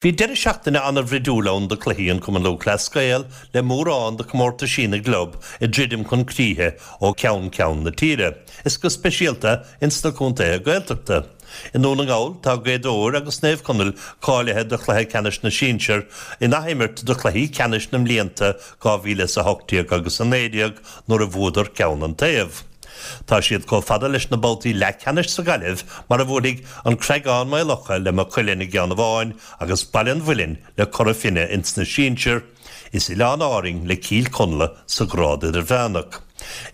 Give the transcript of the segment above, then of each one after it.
Bhí deireadh seachtaine an-bhruidiúil ann do cluichí an Cumann Lúthchleas Gael le mórán de comórtaisí na gclub ag druidim chun críche ó cheann ceann na tíre, is go speisialta ins na contaetha Gaeltachta. I nDún na nGall tá Gaoth Dobhair agus Naomh Conaill cáilithe do chluiche ceannais na sinsear in athimirt do chluichí ceannais na mblianta 2018 agus 19 nuair a bhuadar ceann an taobh. Tá siad chomh fada leis na babhtaí leathcheannais sa Ghaillimh mar a bhuailfidh An Creagán Maigh Locha le Maigh Cuilinn i gceann amháin agus Baile an Mhuilinn le Cora Finne ins na sinsir, is Oileáin Árainn le Cill Chonla sa ghrád idirmheánach.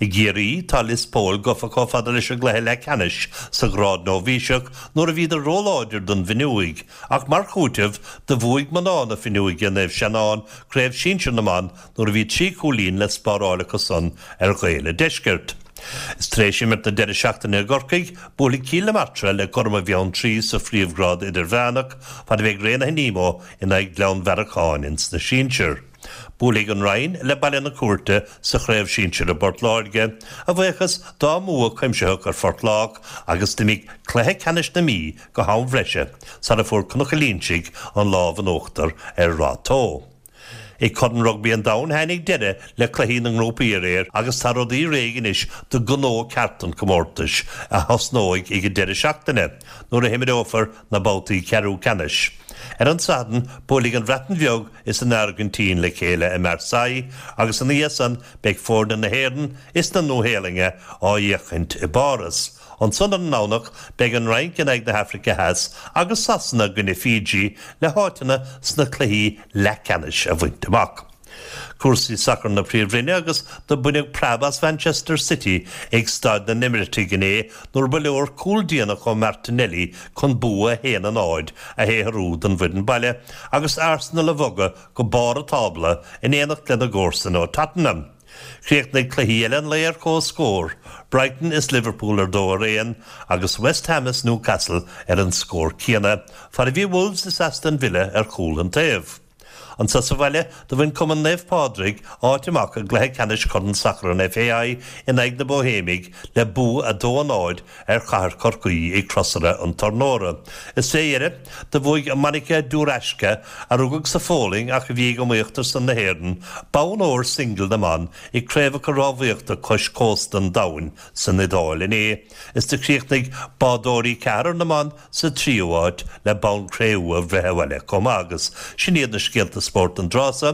I gCiarraí tá Lios Póil gofa chomh fada leis an gcluiche leathcheannais sa ghrád nóibhíseach nuair a bhíodar róláidir don bhFionnúig ach mar chúiteamh do bhuaigh mná na Fionnuaige Naomh Seanán craobh sinsir na mban nuair a bhí 3 chúilín le spáráil acu san ar Ghaeil a' Deiscirt. Is tar éis imirt na deireadh seachtaine i gCorcaigh, buailfidh Cill na Martra le Gorma Bheanntraí sa phríomhghrád idirmheánach, fad a bheidh Raonaithe Nemo in aghaidh Ghleann Bhearacháin ins na sinsir. Buailfidh an Rinn le Baile na Cúirte sa chraobh sinsir i bPort Láirge, a bhuíochas dá mbua cuimsitheach ar Phort Lách agus d'imigh cluiche ceannais na Mí go ham bhreise sara fuair Cnoc an Línsigh an lámh in uachtar ar Rath Tó. I gCorn Rugbaí an Domhain tháinig deireadh le cluichí na ngrúpaí aréir agus tá rudaí réidh anois do ghnó ceart an chomórtais, a thosnóidh ag an deireadh seachtaine, nuair a himreofar na babhtaí ceathrú ceannais. Ar an Satharn, buailfidh an Bhreatain Bheag is an Airgintín le chéile i Marseille agus ina dhiaidh san beidh foirne na hÉireann is na Nua-Shéalainne á bhféachaint i bPáras. Ansan ar an nDomhnach beidh an Fhrainc in aghaidh na hAfraice Theas agus Sasana i gcoinne Fiji le háiteanna sna cluichí leathcheannais a bhaint amach. Cúrsaí sacair na Príomhroinne agus do baineadh preab as Manchester City ag Staid na nEimirítigh inné nuair ba leor cúl déanach ó Martinelli chun bua 1-0 a shaothrú don bhfoireann baile agus Arsenal a bhogadh go barr an tábla in éineacht lena gcomharsain ó Tottenham. Chríochnaigh cluichí eile an lae ar comhscór, Brighton is Liverpool ar 2-1 agus West Ham is Newcastle ar an scór céanna, fad a bhí Wolves is Aston Villa ar chúl an taobh. Anso sa bhaile, do bhain Cumann Naomh Pádraig áit amach i gcluiche ceannais Chorn Sacair an FAI in aghaidh na Bóihéimigh le bua 2-0 ar Chathair Chorcaí i gCrosaire an Tornóra. Is fé dheireadh, do bhuaigh Monika Duraschka, a rugadh sa Pholainn ach a bhí ag iomaíocht ar son na hÉireann, bonn óir singil na mban i gCraobhacha Rámhaíochta Cois Cósta an Domhain san Iodáil inné, is do chríochnaigh bádóirí ceathrar na mban sa tríú háit le bonn cré-umha a bhreith abhaile chomh maith agus sin iad na scéalta spóirt don dtráth so.